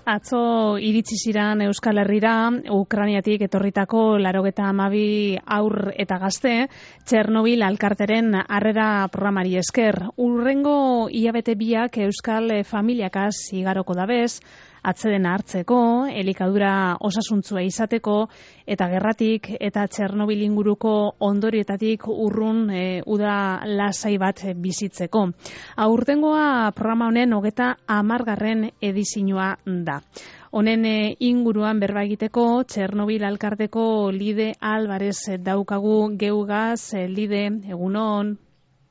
Atzo iritsi ziran Euskal Herrira, Ukrainiatik etorritako 92 haur eta gazte, Txernobil alkarteren harrera programari esker. Hurrengo hilabete biak Euskal familiakaz igaroko dabez, atzedena hartzeko, elikadura osasuntzua izateko, eta gerratik eta Txernobil inguruko ondorioetatik urrun uda lasai bat bizitzeko. Aurtengoa programa honen 30. edizioa da. Honen inguruan berba egiteko Txernobil alkarteko Lide Alvarez daukagu geugaz. Lide, egunon.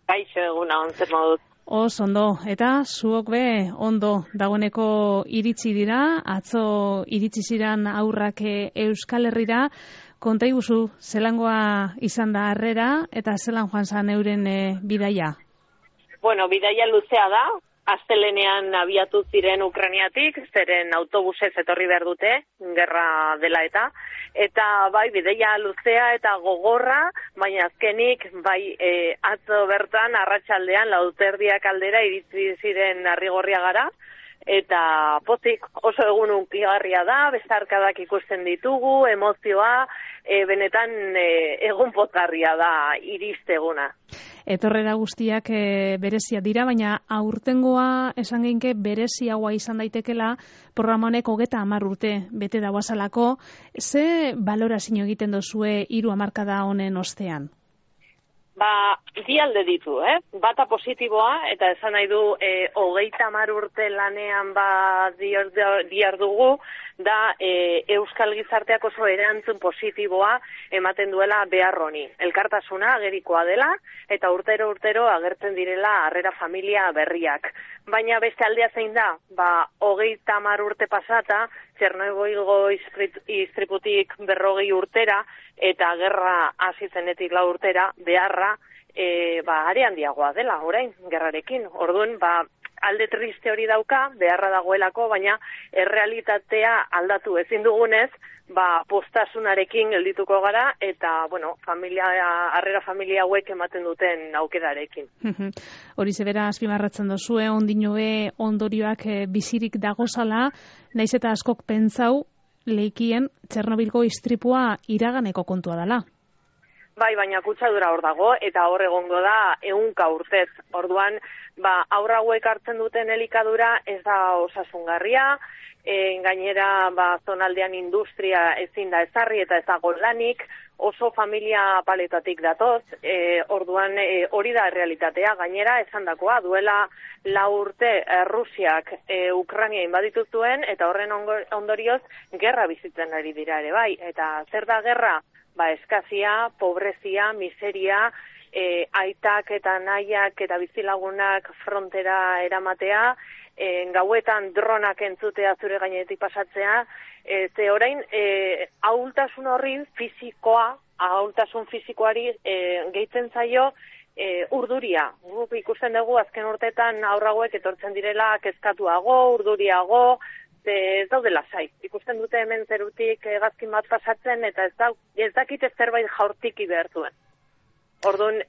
Kaixo, egunon, zer moduz. Ondo, eta zuok be ondo dagoeneko iritsi dira, atzo iritsi ziran aurrak Euskal Herrira. Konta iguzu, zelangoa izan da harrera eta zelan joan zan euren bidaia? Bueno, bidaia luzea da, astelenean abiatu ziren Ukrainiatik, zeren autobusez etorri behar dute, gerra dela eta bai, bidaia luzea eta gogorra, baina azkenik, bai, atzo bertan, arratsaldean 4:00 aldera iritsi ziren Arrigorriagara, eta pozik oso egun hunkigarria da, besarkadak ikusten ditugu, emozioa, benetan egun pozgarria da iristeguna. Etorrera guztiak berezia dira, baina aurtengoa esan geinke bereziagoa izan daitekela, programa honek 30 urte bete dauazalako. Ze balorazio egiten dozue 3 hamarkada honen ostean? Bi alde ditu, Bata positiboa, eta esan nahi du 30 urte lanean diar dugu, da Euskal Gizarteak oso erantzun positiboa ematen duela behar honi. Elkartasuna agerikoa dela, eta urtero agertzen direla harrera familia berriak. Baina beste aldea zein da, 30 urte pasata, Txernobilgo istriputik 40 urtera, eta gerra hasi zenetik 4 urtera, beharra are handiagoa dela, orain, gerrarekin. Orduan, alde triste hori dauka, beharra dagoelako, baina errealitatea aldatu ezin dugunez, postasunarekin geldituko gara, eta, harrera familia hauek ematen duten aukerarekin. Hori zebera azpimarratzen dozue, ondinoe ondorioak bizirik dagozala, naiz eta askok pentsau, leikien Txernobilgo istripua iraganeko kontua dela. Bai, baina kutsadura hor dago, eta hor egongo da 100 urtez. Orduan, haur hauek hartzen duten elikadura ez da osasungarria, gainera zonaldean industria ezin da ezarri eta ez dago lanik, oso familia paletatik datoz, orduan hori da realitatea. Gainera, esandakoa duela 4 urte Rusiak Ukraina inbaditu zuen, eta horren ondorioz gerra bizitzen ari dira ere bai. Eta zer da gerra? Eskazia, pobrezia, miseria, aitak eta nahiak eta bizilagunak frontera eramatea, gauetan dronak entzutea zure gainetik pasatzea, ze orain ahultasun horri ahultasun fizikoari gehitzen zaio urduria. Guk ikusten dugu azken urteetan haur hauek etortzen direla kezkatuago, urduriago, ez daude lasai. Ikusten dute hemen zerutik hegazkin bat pasatzen, eta ez dakite zerbait jaurtiki behar duen. Orduan,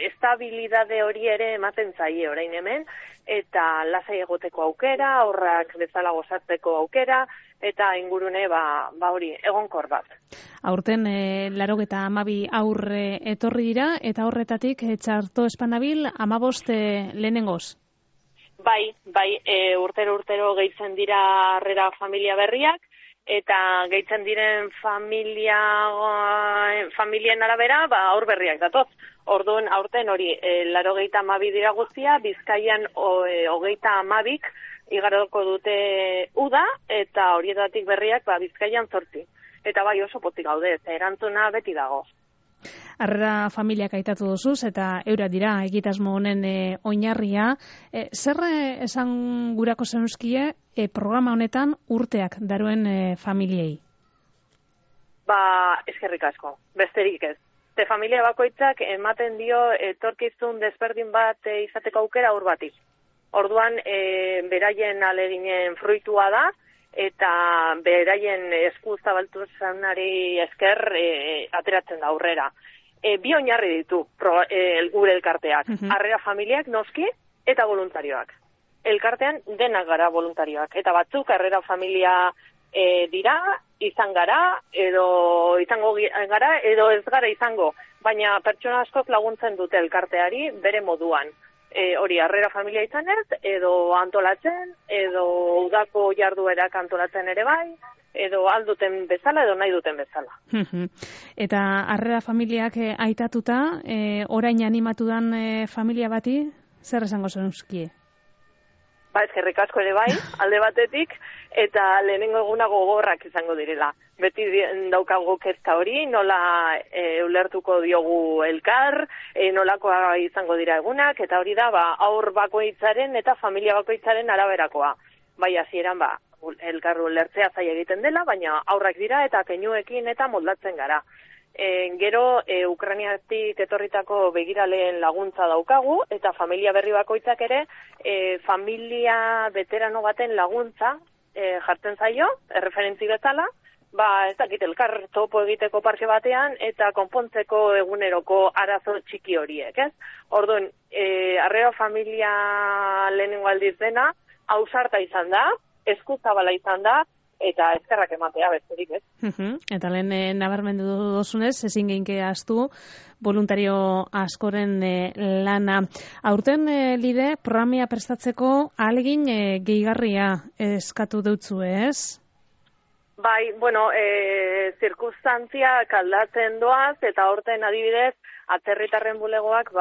estabilidade hori ere ematen zaie orain hemen, eta lasai egoteko aukera, horrak bezala gozatzeko aukera, eta ingurune hori egonkor bat. Aurten 92 aurre etorri dira, eta horretatik Txarto Espanabil 15 lehenengoz. Bai, urtero gehitzen dira harrera familia berriak, eta gehitzen diren familien arabera, aur berriak datoz. Orduan, aurten hori, 92 dira guztia, Bizkaian 32 igaroko dute uda, eta horietatik berriak Bizkaian 8. Eta oso pozik gaude, erantzuna beti dago. Harrera familiak aitatu duzuz, eta eura dira egitasmo honen oinarria. Zer esan gurako zenuzkie programa honetan urteak daruen familiei? Eskerrik asko, besterik ez. Familia bakoitzak ematen dio etorkizun desberdin bat izateko aukera haur bati. Orduan, beraien aleginen fruitua da, eta beraien esku zabaltasunari esker ateratzen da aurrera. Bi oinarri ditu gure elkarteak. Harrera familiak noski eta voluntarioak. elkartean denak gara voluntarioak. Eta batzuk Harrera Familia dira, izan gara, edo izango gara, edo ez gara izango. Baina pertsona askok laguntzen dute elkarteari bere moduan. Hori Harrera Familia izanez, edo antolatzen, edo udako jarduerak antolatzen ere bai, edo alduten bezala, edo nahi duten bezala. Eta Harrera Familiak aitatuta, orain animatu dan familia bati, zer esango zenuzkie? Eskerrik asko ere bai, alde batetik, eta lehenengo eguna gogorrak izango direla. Beti daukagu kezka hori, nola ulertuko diogu elkar, nolakoa izango dira egunak, eta hori da, aur bakoitzaren eta familia bakoitzaren araberakoa. Bai, hasieran elkar ulertzea zaila egiten dela, baina aurrak dira eta keinuekin eta moldatzen gara. Gero, Ukrainiatik etorritako begiraleen laguntza daukagu, eta familia berri bakoitzak ere, familia veterano baten laguntza jartzen zaio, erreferentzi bezala, ez dakit elkar topo egiteko parke batean, eta konpontzeko eguneroko arazo txiki horiek, ez? Orduan, Harrera Familia lehenengo aldiz dena, ausarta izan da, eskuzabala izan da, eta eskerrak ematea besterik, ez? Eta lehen nabarmendu dozunez, ezin geinke ahaztu voluntario askoren lana. Aurten Lide, programia prestatzeko ahalegin gehigarria eskatu deutzu, ez? Bai, zirkunstantziak aldatzen doaz, eta aurten adibidez, atzerritarren bulegoak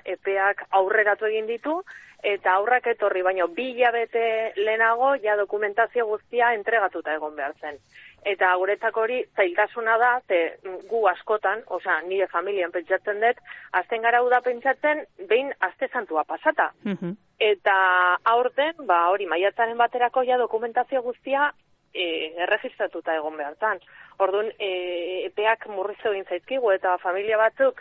epeak aurreratu egin ditu, eta aurrak etorri, baino 2 hilabete lehenago ja dokumentazio guztia entregatuta egon behar zen. Eta guretzako hori zailtasuna da, gu askotan, nire familian pentsatzen dut, azten gara uda pentsatzen, behin aste santua pasata. Eta aurten, hori maiatzaren baterako ja dokumentazio guztia erregistratuta egon behar zen. Orduan, epeak murriztu egin zaizkigu eta familia batzuk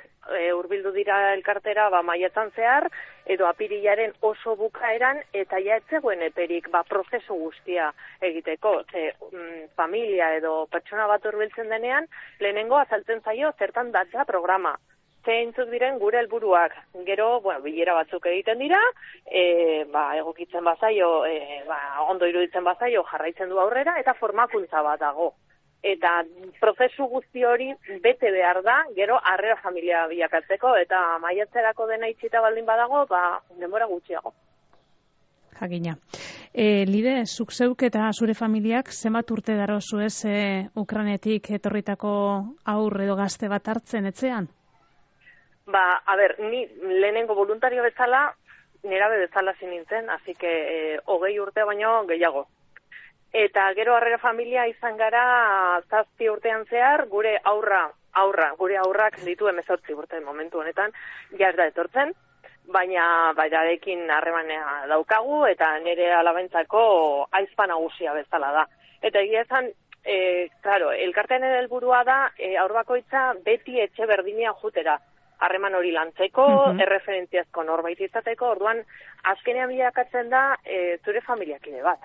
hurbildu dira elkartera maiatzan zehar, edo apirilaren oso bukaeran, eta ja ez zegoen eperik prozesu guztia egiteko. Familia edo pertsona bat hurbiltzen denean, lehenengo azaltzen zaio zertan datza programa. Zeintzuk diren gure helburuak. Gero, bilera batzuk egiten dira, egokitzen bazaio, ondo iruditzen bazaio jarraitzen du aurrera, eta formakuntza bat dago. Eta prozesu guzti hori bete behar da, gero Harrera Familia bilakatzeko, eta maiatzerako dena itxita baldin badago, denbora gutxiago. Jakina. Lide, zuk zeuk eta zure familiak zenbat urte darozu ez Ukrainetik etorritako aur edo gazte bat hartzen etxean? Ni lehenengo voluntario bezala, nerabe bezala zinintzen, así que 20 urte baino gehiago. Eta gero Harrera Familia izan gara 7 urtean zehar, gure gure aurrak ditu 18 urte momentu honetan, ja ez da etortzen, baina berarekin harremanea daukagu, eta nire alabentzako aizpa nagusia bezala da. Eta egia esan, elkartean helburua da, aur bakoitza beti etxe berdinea jutera. Harreman hori lantzeko, erreferentziazko norbait izateko, orduan azkenean bilakatzen da zure familiakide bat.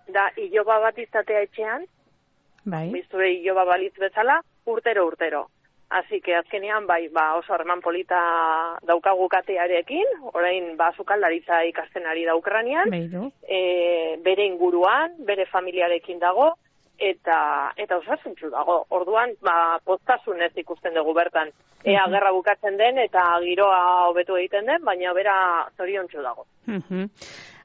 Da, iloba bat izatea etxean, zure iloba balitz bezala, urtero. Así que azkenean, oso harreman polita daukagu katearekin, orain sukaldaritza ikasten ari da Ukrainian, bere inguruan, bere familiarekin dago, eta osasuntsu dago. Orduan, poztasunez ikusten dugu bertan. Ea gerra bukatzen den eta giroa hobetu egiten den, baina bera zoriontsu dago.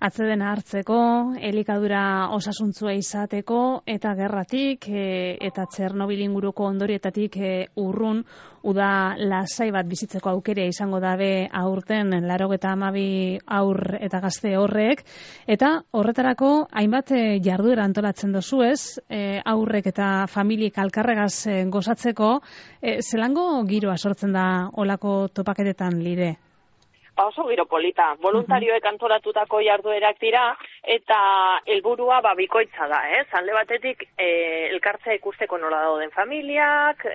Atzedena hartzeko, elikadura osasuntzua izateko, eta gerratik, eta Txernobil inguruko ondorietatik urrun, uda lasai bat bizitzeko aukera izango dabe aurten 92 aur eta gazte horrek, eta horretarako hainbat jarduera antolatzen dozu ez, aurrek eta familiek alkarregaz gozatzeko, zelango giroa sortzen da olako topaketetan, Lide? Oso giro polita, voluntarioek antolatutako jarduerak dira, eta helburua bikoitza da, alde batetik elkartzea ikusteko nola dauden familiak,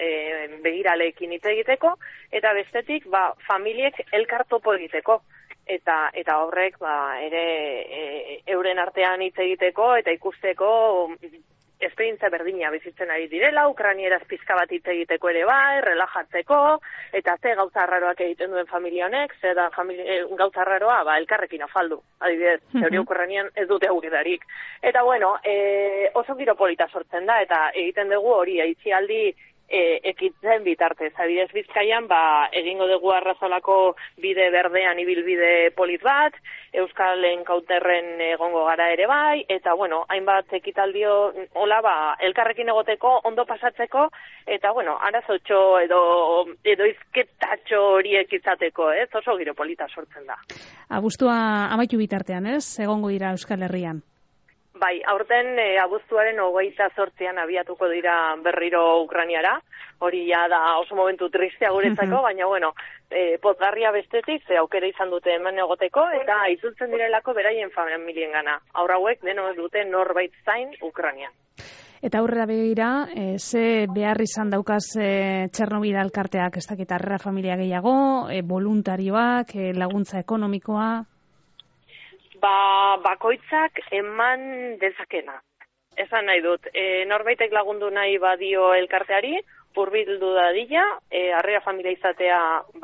begiraleekin hitz egiteko, eta bestetik familiek elkar topo egiteko, eta horrek ere euren artean hitz egiteko, eta ikusteko esperientzia berdina bizitzen ari direla, ukrainieraz pizka bat hitz egiteko ere bai, relajatzeko, eta ze gauza arraroak egiten duen familia honek, ze da gauza arraroa, elkarrekin afaldu, adibidez, hori ukrainian ez dute aukerarik. Eta bueno, oso giro polita sortzen da, eta egiten dugu hori aitzialdi ekitzen bitartez. Adibidez Bizkaian, egingo dugu Arrazolako bide berdean ibilbide polit bat, Euskal Enkauterren egongo gara ere bai, eta bueno, hainbat ekitaldio hola elkarrekin egoteko, ondo pasatzeko, eta bueno, arazotxo edo izketatxo horiek izateko, oso giro polita sortzen da. Abuztua amaitu bitartean, egongo dira Euskal Herrian? Bai, aurten abuztuaren 28an abiatuko dira berriro Ukrainiara, hori ja da oso momentu tristea guretzako, baina bueno, pozgarria bestetik, ze aukera izan dute hemen egoteko, eta itzultzen direlako beraien familiengana. Haur hauek deno dute norbait zain Ukrainian. Eta aurrera begira, ze behar izan daukaz Txernobil elkarteak, ez dakit harrera familia gehiago, voluntarioak, laguntza ekonomikoa? Bakoitzak eman dezakena. Esan nahi dut, norbaitek lagundu nahi badio elkarteari, hurbildu dadila, harrera familia izatea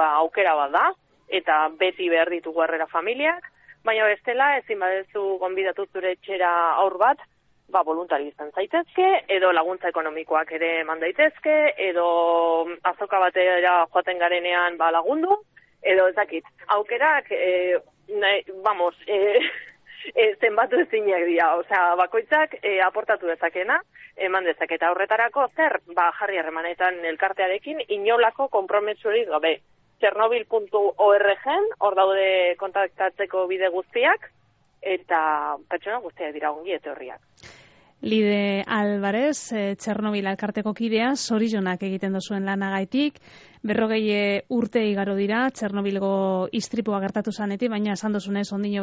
aukera bat da, eta beti behar ditugu harrera familiak, baina bestela ezin badezu gonbidatu zure etxera aur bat, voluntari izan zaitezke, edo laguntza ekonomikoak ere eman daitezke, edo azoka batera joaten garenean lagundu, edo ezakit. Aukerak, zenbatu ezinak dira, bakoitzak aportatu dezakena, eman dezaketa horretarako zer, jarri harremanetan elkartearekin, inolako konprometsurik gabe. Chernobyl.org-en, hor daude kontaktatzeko bide guztiak, eta pertsona guztiak dira ongi etorriak. Lide Alvarez, Txernobil elkarteko kidea, zorionak egiten duzuen lanagaitik, 40 urte igaro dira, Txernobilgo istripua gertatu zanetik, baina esan duzunez, ondino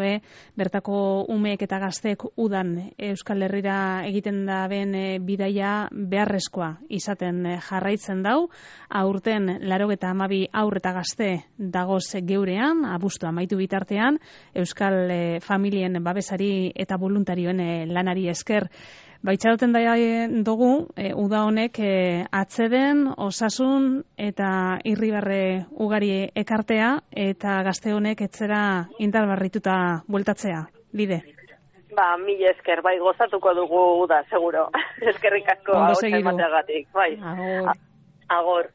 bertako umeek eta gazteek udan Euskal Herrira egiten da ben bidaia beharrezkoa izaten jarraitzen dau, aurten 82 haur eta gazte dagoz geurean, abuztua amaitu bitartean, Euskal familien babesari eta voluntarioen lanari esker. Baitxaroten da dugu, uda honek atzeden, osasun eta irribarre ugari ekartea eta gazte honek etzera indarbarrituta bueltatzea, Lide? Mila esker, gozatuko dugu uda, seguro. Eskerrik asko, hau emateagatik. Agor.